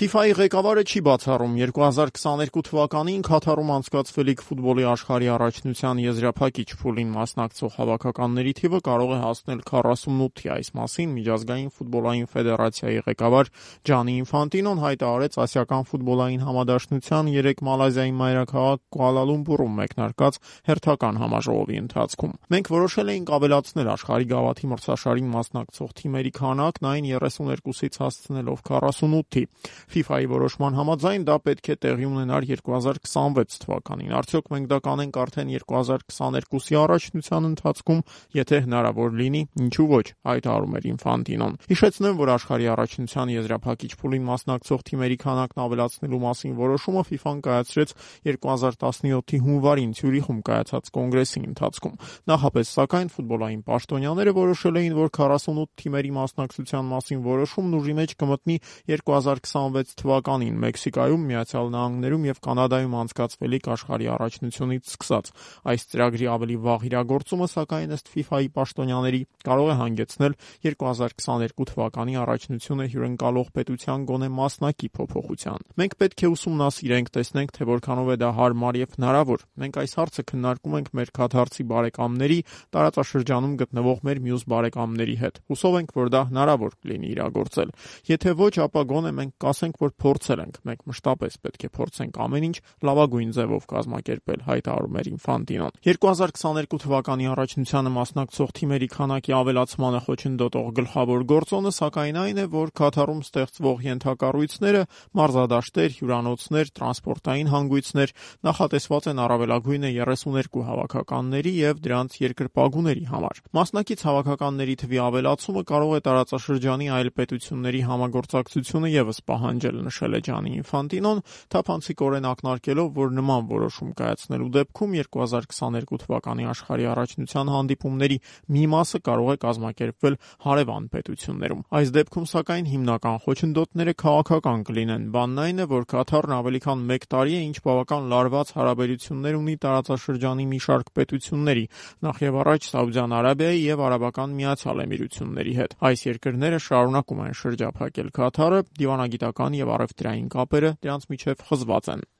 FIFA-ի ղեկավարը չի բացառում 2022 թվականին Քաթարում անցկացվելիք ֆուտբոլի աշխարհի առաջնության եզրափակիչ փուլին մասնակցող հավաքականների թիվը կարող է հասնել 48-ի։ Այս մասին Միջազգային ֆուտբոլային ֆեդերացիայի ղեկավար Ջանի Ինֆանտինոն հայտարարեց Ասիական ֆուտբոլային համադաշնության 3 Մալազիայի մայրաքաղաք Կուալալումպուրում մեկնարկած հերթական համաժողովի ընթացքում։ Մենք որոշել էինք ավելացնել աշխարհի գավաթի մրցաշարին մասնակցող թիմերի քանակն այն 32-ից հասցնելով 48-ի։ FIFA-ի որոշման համաձայն դա պետք է տեղի ունենար 2026 թվականին։ Արդյոք մենք դա կանենք արդեն 2022-ի առաջնության ընթացքում, եթե հնարավոր լինի, ինչու ոչ, հայտարարում էր Ինֆանտինոն։ Հիշեցնեմ, որ աշխարհի առաջնության եզրափակիչ փուլին մասնակցող թիմերի քանակն ավելացնելու մասին որոշումը FIFA-ն կայացրեց 2017-ի հունվարին Ցյուրիխում կայացած կոնգրեսի ընթացքում։ Նախապես, սակայն, ֆուտբոլային պաշտոնյաները որոշել էին, որ 48 թիմերի մասնակցության մասին որոշումն ուժի մեջ կմտնի 2026 թվականին Մեքսիկայում, Միացյալ Նահանգներում եւ Կանադայում անցկացվելիք աշխարհի առաջնությունից սկսած։ Այս ծրագրի ավելի վաղ իրագործումը, սակայն, ըստ FIFA-ի պաշտոնյաների, կարող է հանգեցնել 2022 թվականի առաջնությունը հյուրընկալող պետության գոնե մասնակի փոփոխության։ Մենք պետք է ուսումնասիրենք, տեսնենք, թե որքանով է դա հարմար եւ հնարավոր։ Մենք այս հարցը քննարկում ենք մեր քաթարցի բարեկամների, տարածաշրջանում գտնվող մեր մյուս բարեկամների հետ։ Հուսով ենք, որ դա հնարավոր լինի իրագործել։ Եթե ոչ, ապա գոնե մենք կասենք, որ փորձել ենք։ Մենք մշտապես պետք է փորձենք ամեն ինչ լավագույն ձևով կազմակերպել, հայտարարում էր Ինֆանտինոն։ 2022 թվականի առաջնությանը մասնակցող թիմերի քանակի ավելացմանը խոչընդոտող գլխավոր գործոնը, սակայն, այն է, որ Քաթարում ստեղծվող ենթակառույցները, մարզադաշտեր, հյուրանոցներ, տրանսպորտային հանգույցներ նախատեսված են առավելագույնը 32 հավաքականների եւ դրանց երկրպագուների համար։ Մասնակից հավաքականների թվի ավելացումը կարող է տարածաշրջանի այլ պետությունների համագործակցությունը եւս պահանջել, նշել է Ջանի Ինֆանտինոն, թափանցիկորեն ակնարկելով, որ նման որոշում կայացնելու դեպքում 2022 թվականի աշխարհի առաջնության հանդիպումների մի մասը կարող է կազմակերպվել հարևան պետություններում։ Այս դեպքում, սակայն, հիմնական խոչընդոտները քաղաքական կլինեն։ Բանն այն է, որ Քաթարն ավելի քան 1 տարի է, ինչ բավական լարված հարաբերություններ ունի տարածաշրջանի մի շարք պետությունների, նախևառաջ Սաուդյան Արաբիայի եւ Արաբական Միացյալ Էմիրությունների հետ։ Այս երկրները շարունակում են շրջափակել Քաթարը, դիվանագիտական եւ առևտրային կապերը դրանց միջև խզված են։